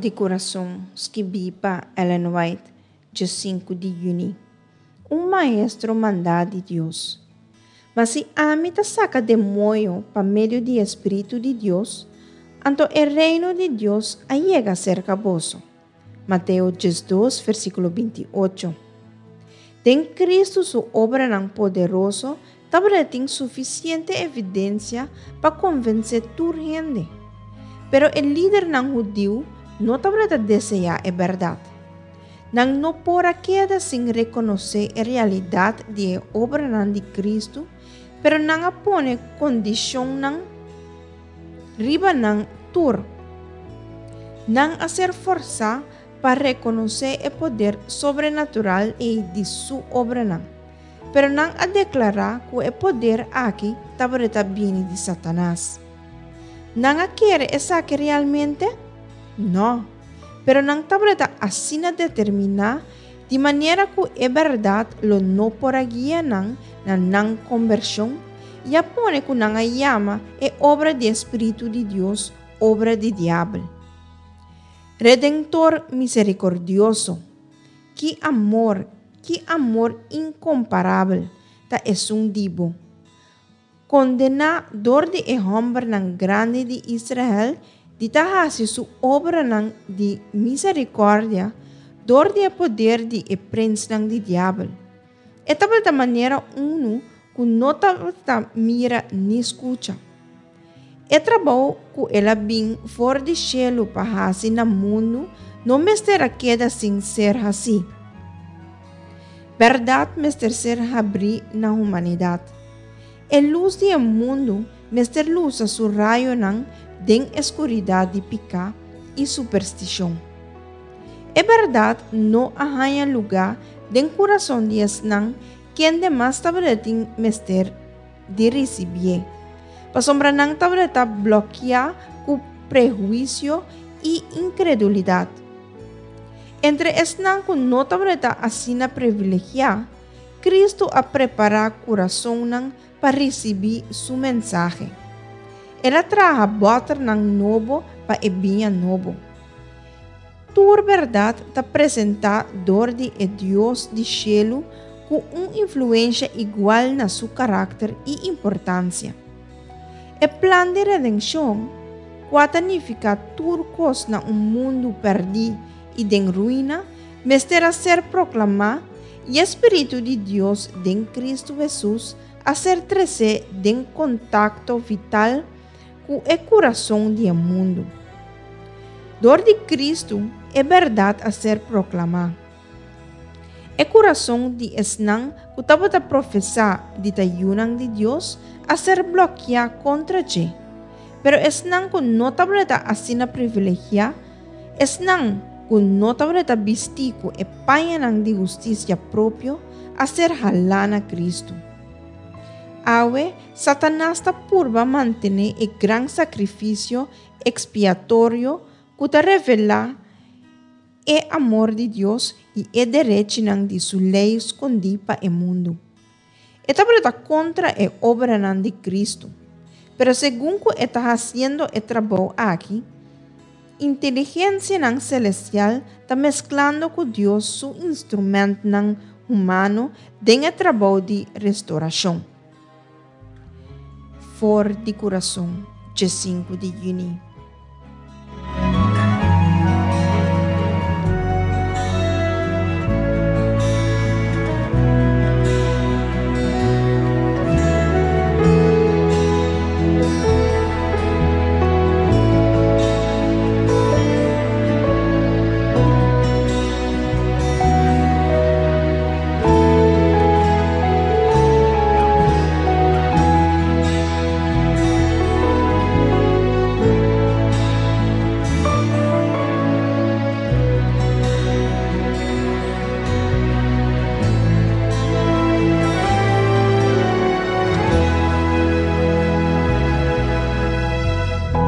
di Kurason, skibí pa Ellen White, djesinku di yüni. Un maestro mandá di Dios. Ma si ami ta saka demoño pa medio di e spiritu di Dios, anto e Reino di Dios a yega serka boso. Mateo 12, versíkulo 28. Den Kristu su obranan poderoso tabatin sufisiente evidensia pa konvensé tur hende. Pero e lidernan hudiu no tabata deseá e bèrdat. Nan no por a keda sin rekonosé e realidat di e obranan di Kristu, pero nan a pone kondishonnan riba nan tur. Nan a ser forsá pa rekonosé e poder sobrenatural ei di su obranan, pero nan a deklará ku e poder aki tabata bini di Satanas. Nan a kere esaki realmente? Nò. Pero nan tabata asina determiná di manera ku e bèrdat lo no por a guia nan na nan kombershon i a pone ku nan a yama e obra di e spiritu di Dios obra di diabel. Redentor miserikordioso, ki amor, ki amor inkomparabel ta esun di bo! Kondená dor di e hòmbernan grandi di Israel di ta hasi su obranan di miserikòrdia dor di e poder di e prensnan di diabel. E tabata manera unu ku no tabata mira ni skucha. E trabou ku el a bin for di shelu pa hasi na mundu no mester a keda sin ser hasí. Bèrdat mester ser habrí na humanidat. E lus di e mundu mester lusa su rayonan den e skuridat di piká i superstishon. E bèrdat no a haña lugá den kurason di esnan kende mas tabatin mester di risibié, pasobra nan tabata blòkiá ku prehuisio i inkredulidat. Entre esnan ku no tabata asina privilegiá, Kristu a prepará kurasonnan pa risibí su mensahe. El a traha bòternan nobo pa e biña nobo. Tur bèrdat ta presentá dor di e Dios di shelu ku un influensha igual na su karakter i importansia. E plan di redenshon, kua ta nifiká tur kos na un mundu pèrdí i den ruina, mester a ser proklamá i e spiritu di Dios den Kristu Hesus a ser tresé den kontakto vital ku e kurason di e mundu. Dor di Kristu e bèrdat a ser proklamá. E kurason di esnan ku tabata profesá di ta yunan di Dios a ser blòkiá kontra dje. Pero esnan ku no tabata asina privilegiá, esnan ku no tabata bistí ku e pañanan di hustisia propio, a ser halá na Kristu. Awe, Satanas ta purba mantené e gran sakrifisio ekspiatorio ku ta revelá E amor di Dios i e derechinan di su lei skondí pa e mundu. E tabata kontra e obranan di Kristu, pero segun ku e ta hasiendo e trabou aki, inteligensianan selestial ta mesklando ku Dios su instrumentnan humano den e trabou di restorashon. For di kurason, djesinku di yüni.